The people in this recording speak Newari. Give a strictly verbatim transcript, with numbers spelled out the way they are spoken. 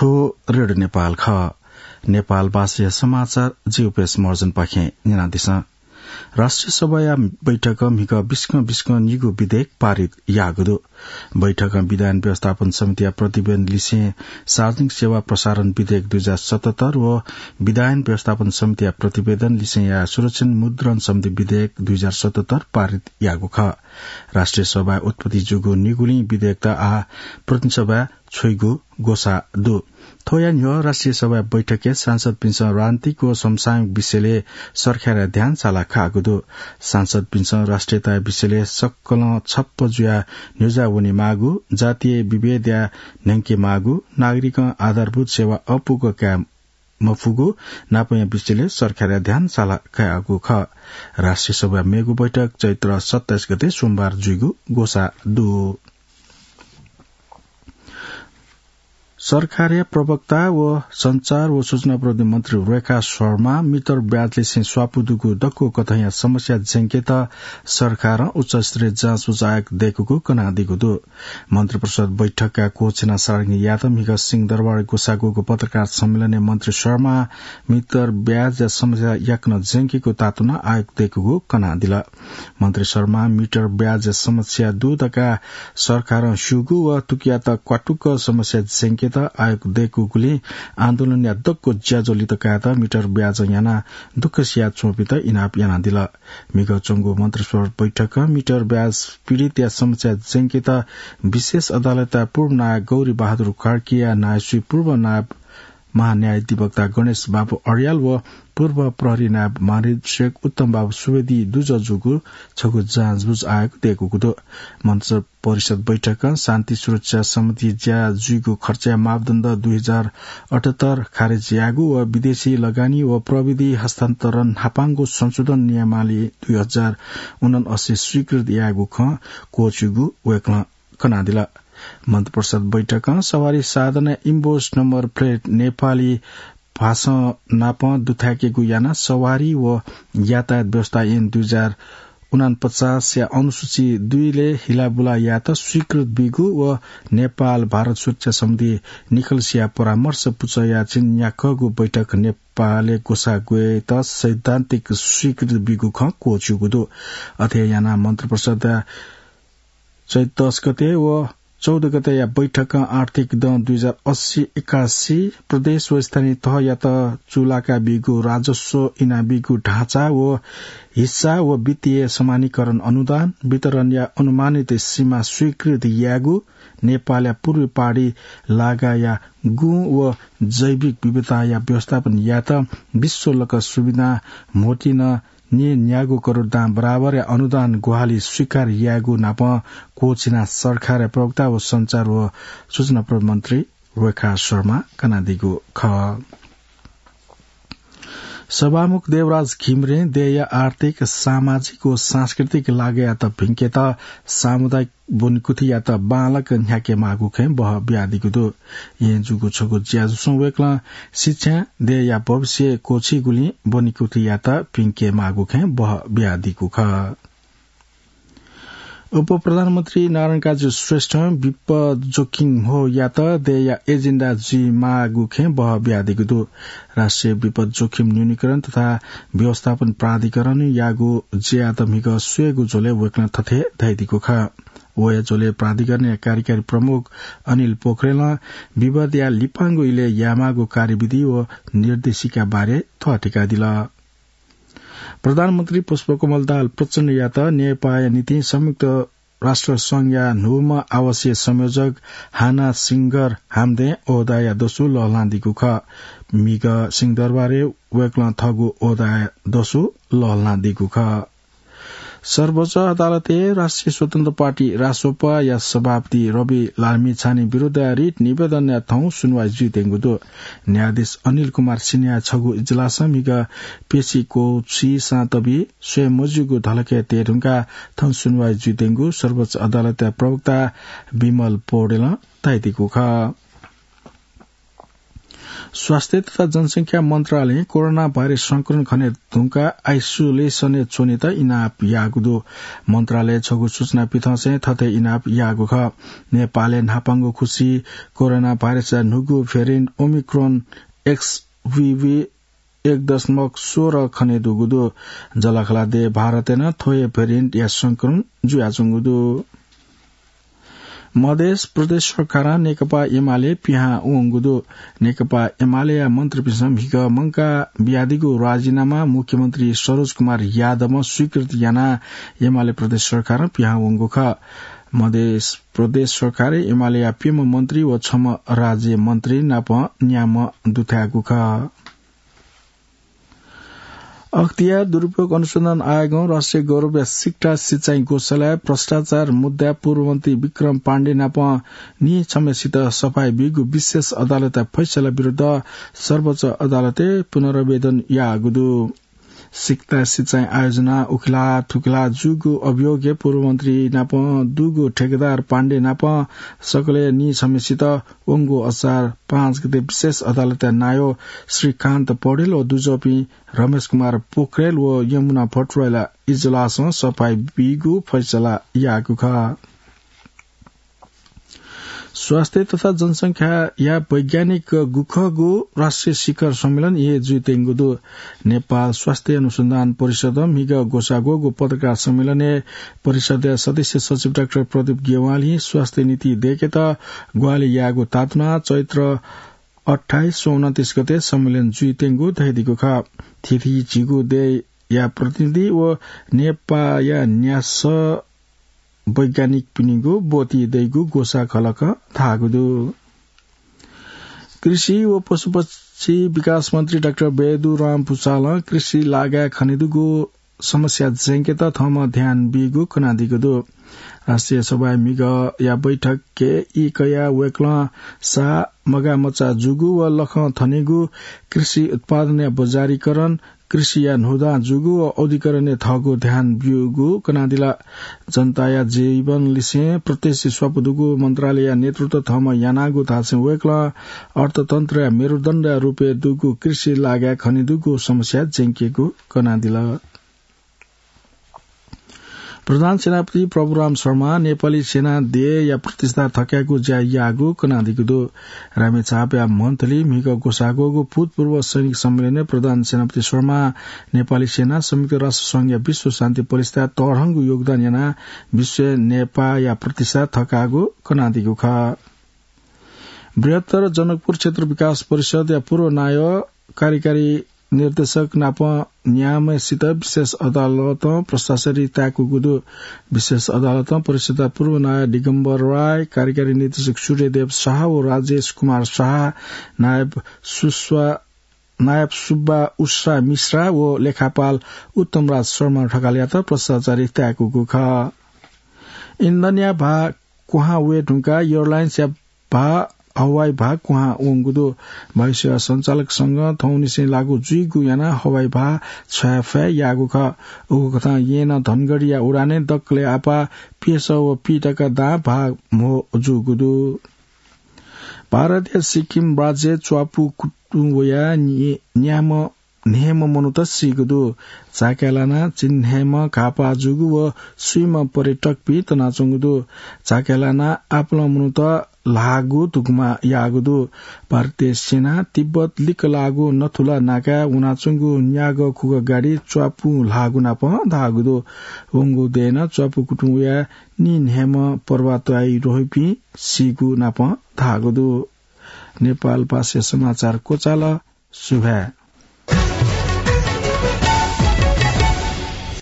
थ्व रेडियो नेपाल खः। नेपाल भाषाया समाचार जिगु पेश महर्जनपाखें न्यनादिसँ। राष्ट्रिय सभाया बैठकं म्हिगः बिस्कं बिस्कं निगू विधेयक पारित याःगु दु। बैठकं विधायन व्यवस्थापन समितिया प्रतिवेदन लिसें सार्वजनिक सेवा प्रसारण विधेयक दुई हजार सतहत्तर व विधायन व्यवस्थापन समितिया प्रतिवेदन लिसें या सुरक्षित मुद्रण सम्बन्धी विधेयक दुई हजार सतहत्तर पारित याःगु खः। राष्ट्रिय सभाय् उत्पत्ति जूगु निगुलिं विधेयकत आः प्रतिनिधि सभाय् छ्वइगु ग्वसाः दु। थ्वया न्ह्यः राष्ट्रिय सभाया बैठकय् सांसदपिन्सं राजनीतिक व समसामयिक विषयलय् सरकारया ध्यान साला काःगु दु। सांसदपिन्सं राष्ट्रियताया विषयलय् सकलं छप्प जुयाः न्ह्यज्याः वनेमाःगु, जातीय विभेदया न्ह्यंकेमाःगु, नागरिकं आधारभूत सेवा अपुगः काये मफुगु नापंया विषयलय् सरकारया ध्यान साला काःगु खः। राष्ट्रिय सभाया मेगु बैठक चैत्र सत्ताइस गते सोमबार जुइगु ग्वसाः दु। सरकारया प्रवक्ता व सञ्चार व सूचना प्रविधि मन्त्री रेखा शर्मां मिटर ब्याज लिसें स्वापू दुगु दक्व कथंया समस्या ज्यंकेत सरकारं उच्चस्तरीय जाँचबुझ आयोग दय्कूगु कनादीगु दु। मन्त्रिपरिषद बैठकया कोःछिना सारंगीयात म्हिगः सिंहदरबारय् ग्वसाःगु पत्रकार सम्मेलनय् मन्त्री शर्मां मिटर ब्याजया समस्या याकनं ज्यंकेगु तातुना आयोग दय्कूगु कनादिल। मन्त्री शर्मां मिटर ब्याजया समस्या दु धकाः सरकारं स्यूगु व थुकियात क्वातुक समस्या ज्यंकेत आयोग दय्कूगुलिं आन्दोलनया दक्व ज्याझ्वः लित कायेत मिटर ब्याजं यानाः दुःख सियाच्वंपिन्त इनाप यानादिल। म्हिगः च्वंगु मन्त्रिपरिषद बैठकं मिटर ब्याज पीडितया समस्या ज्यंकेत विशेष अदालतया पूर्व नायब गौरी बहादुर कार्कीया नायःसुइ पूर्व नायब महान्यायाधिवक्ता गणेश बाबु अर्याल व पूर्व प्रहरी नायब महानिरीक्षक उत्तम बाबु सुवेदी दुजः जूगु छगू जाँचबुझ आयोग दय्कूगु दु। मन्त्रिपरिषद बैठकं शान्ति सुरक्षा सम्बन्धी ज्या जुइगु खर्चया मापदण्ड दुई हजार अठहत्तर खारेज यायेगु व विदेशी लगानी व प्रविधि हस्तान्तरण न्हापांगु संशोधन नियमावली दुई हजार उनअसी स्वीकृत यायेगु खँ क्वःछिउगु वय्कलं कनादिल। मन्त्रिपरिषद बैठकं सवारी साधनया इम्बोस नम्बर प्लेट नेपाली भाषां नाप दुथ्याकेगु यानाः सवारी व यातायात व्यवस्था ऐन दुई हजार उनापचासया अनुसूची दुईलय् हिलाबुला यायेत स्वीकृत बीगु व नेपाल भारत सुरक्षा सम्बन्धी निकलसिया परामर्श पुचःया चिन्याकःगु बैठक नेपालय् ग्वसाः ग्वयेत सैद्धान्तिक स्वीकृत बीगु खँ क्वःछिउगु दु। अथे यानाः मन्त्रिपरिषदया चैत दस गते व चौध गतेया बैठकं आर्थिक दँ दुई हजार असी एकासी प्रदेश व स्थानीय तहयात चूलाका बीगु राजस्व, इनाबीगु ढाँचा व हिस्सा व वित्तीय समानीकरण अनुदान वितरणया अनुमानित सीमा स्वीकृत यायेगु, नेपालया पूर्वी पहाडी लागाया गुँ व जैविक विविधताया व्यवस्थापन यायेत विश्वलक सुविधा म्होतिन न्येन्यागू करोड दां बराबरया अनुदान ग्वाहालि स्वीकार यायेगु नाप क्वःछिना सरकारया प्रवक्ता व सञ्चार व सूचना प्रविधि मन्त्री रेखा शर्मां कनादीगु खः। सभामुख देवराज घिमिरें देय्‌या आर्थिक, सामाजिक व सांस्कृतिक लागायात भिंकेत सामुदायिक ब्वनिकुथियात बांलाक न्ह्याकेमाःगु खँय् बह बियादीगु दु। येँ जूगु छगू ज्याझ्वलय् वय्‌कलं शिक्षां देय्‌या भविष्य क्वःछीगुलिं ब्वनिकुथियात भिंकेमाःगु खँय् बह बियादीगु खः। उपप्रधानमन्त्री नारायणकाजी श्रेष्ठं विपद जोखिम म्हो यात देय्‌या एजेन्डा जुइमाःगु खँय् बह बियादीगु दु। राष्ट्रिय विपद जोखिम न्यूनीकरण तथा व्यवस्थापन प्राधिकरणयागु ज्यायात म्हिगः स्वयेगु झ्वलय् वय्‌कलं थथे धयादीगु खः। वया झ्वलय् प्राधिकरणया कार्यकारी प्रमुख अनिल पोखरेलं विपदया लिपांगु इलय् यायेमाःगु कार्यविधि व निर्देशिका बारे थ्वः थकादिल। प्रधानमन्त्री पुष्पकमल दाहाल प्रचण्डयात नेपाःया निंतिं संयुक्त राष्ट्र संघया न्हूम्ह आवासीय संयोजक हाना सिंगर हाम्दें ओहदाया दसु लःल्हानादीगु खः। म्हिगः सिंहदरबारय् वय्‌कलं थःगु ओहदाया दसु लःल्हानादीगु खः। सर्वोच्च अदालतय् राष्ट्रिय स्वतन्त्र पार्टी रासोपाया सभापति रवि लामिछाने विरुद्धया रिट निवेदनया थौं सुनुवाइ जुइत्यंगु दु। न्यायाधीश अनिल कुमार सिन्हाया छगू इजलासं म्हिगः पेशी क्वःछिसां तबि स्वये मज्यूगु धलखय् तये धुंकाः थौं सुनुवाइ जुइत्यंगु सर्वोच्च अदालतया प्रवक्ता विमल पौडेलं धयादीगु खः। स्वास्थ्य तथा जनसंख्या मन्त्रालयं कोरोना भाइरस संक्रमण खने धुंकाः आइसोलेसनय् च्वनेत इनाप याःगु दु। मन्त्रालयं छगू सूचना पिथंसें थथे इनाप याःगु खः। नेपालय् न्हापांगु खुसी कोरोना भाइरसया न्हूगु भेरिएन्ट ओमिक्रोन एक्सभिभी एक दशमलव सोह्र खने दुगु दु। जःलाखःला देय् भारतय् नं थ्व हे भेरिएन्टया संक्रमण जुयाच्वंगु दु। मधेस प्रदेश सरकारं नेकपा एमाले पिहां वंगु दु। नेकपा एमालेया मन्त्रीपिन्सं म्हिगः मंकाः बियादीगु राजीनामा मुख्यमन्त्री सरोज कुमार यादवं स्वीकृति यानाः एमाले प्रदेश सरकारं पिहां वंगु खः। मधेस प्रदेश सरकारय् एमालेया प्यम्ह मन्त्री व छम्ह राज्य मन्त्री नाप न्याम्ह दुथ्याःगु खः। अख्तियार दुरुपयोग अनुसन्धान आयोगं राष्ट्रिय गौरवया सिकटा सिँचाइ गोशालाय् भ्रष्टाचार मुद्दाय् पूर्वमन्त्री विक्रम पाण्डे नाप नीछम्हसित सफाइ बीगु विशेष अदालतया फैसला विरुद्ध सर्वोच्च अदालतय् पुनरावेदन याःगु दु। सिकटा सिँचाइ आयोजना उखेला थुखेला जूगु अभियोगय् पूर्वमन्त्री नाप दुगु ठेकेदार पाण्डे नाप सकलें नीछम्हसित वंगु असार पाँच गते विशेष अदालतया नायः श्रीकान्त पौडेल व दुजःपिं रमेश कुमार पोखरेल व यमुना भट्टराईला इजलासं सफाइ बीगु फैसला याःगु खः। स्वास्थ्य तथा जनसंख्याया वैज्ञानिक गुखःगु राष्ट्रिय शिखर सम्मेलन हे जुइत्यंगु दु। नेपाल स्वास्थ्य अनुसन्धान परिषदं म्हिगः ग्वसाः ग्वःगु पत्रकार सम्मेलनय् परिषदया सदस्य सचिव डाक्टर प्रदीप गेवालीं स्वास्थ्य नीति दय्केत ग्वाहालि याःगु तातुनाः चैत्र अट्ठाइस व उनन्तीस गते सम्मेलन जुइत्यंगु धयादीगु खः। थीथी झीगु देय्या प्रतिनिधि व नेपाःया न्यासः वैज्ञानिकपिनिगु ब्वति दइगु ग्वसाः खलकं धाःगु दु। कृषि व पशुपक्षी विकास मन्त्री डाक्टर बेदुराम भुसालं कृषि लागाय् खनेदुगु समस्या ज्यंकेत थःम्हं ध्यान बीगु कनादीगु दु। राष्ट्रिय सभाय् म्हिगःया बैठकय् ई कयाः वय्कलं साः, मगाःमचा जूगु व लखं थनेगु कृषि उत्पादनया बजारीकरण, कृषिया न्हूदँ जूगु व औद्योगिकरणय् थःगु ध्यान ब्यूगु कनादिल। जनताया जीवन लिसें प्रत्यक्ष स्वापू दुगु मन्त्रालयया नेतृत्व थःम्हं यानागु धासें वय्कलं अर्थतन्त्रया मेरुदण्डया रूपय् दुगु कृषि लागाय् खनेदुगु समस्या ज्यंकेगु कनादिल। प्रधान सेनापति प्रभुराम शर्मा नेपाली सेना देय्या प्रतिष्ठा थकायेगु ज्या याःगु कनादीगु दु। रामेछापया मन्थली म्हिगः ग्वसाः ग्वःगु भूतपूर्व सैनिक सम्मेलनय् प्रधान सेनापति शर्मा नेपाली सेना संयुक्त राष्ट्र संघया विश्व शान्ति प्रतिष्ठाय् तःधंगु योगदान यानाः विश्वय् नेपाःया प्रतिष्ठा थकाःगु कनादीगु खः। बृहत्तर जनकपुर क्षेत्र विकास परिषदया पूर्व नायः कार्यकारी निर्देशक नाप न्याम्हसित विशेष अदालतं भ्रष्टाचारी ताय्कूगु दु। विशेष अदालतं परिषदया पूर्व नायः दिगम्बर राय, कार्यकारी निर्देशक सूर्यदेव शाह व राजेश कुमार शाह, नायब सुस्वा, नायब सुब्बा उषा मिश्रा व लेखापाल उत्तमराज शर्मा ढकालयात भ्रष्टाचारी ताय्कूगु खः। इन्धनया भाः क्वहां वये धुंकाः एयरलाइन्सया भाः, हवाई भाः क्वहां वंगु दु। वायुसेवा सञ्चालक संघं थौंनिसें लागू जुइगु यानाः हवाई भाः छ्वयाफय् याःगु खः। उकथं येँनं धनगढीया उडानय् दकलय् आपाः प्यसः व पीतका दां भाः म्हो जूगु दु। भारतया सिक्किम राज्यय् च्वापु कुतुं वयाः नि-, न्याम्ह न्हय्म्ह मनूत सीगु दु। चाकय् लानाः चिन्हय्म्ह घाःपाः जूगु व स्वीम्ह पर्यटकपिं तनाच्वंगु दु। चाकय् लानाः आपालं मनूत ल्हाःगु धुकुमा याःगु दु। भारतीय सेनां तिब्बत लिक्क लाःगु नथुला नाकाय् वनाच्वंगु न्यागः खुगः गाडी च्वापुं ल्हाःगु नाप धाःगु दु। वंगु देय् नं च्वापु कुतुं वयाः नीन्हय्म्ह पर्वतारोहीपिं सीगु नाप धाःगु दु। नेपालभाषा समाचार क्वचाल। सुभाय्।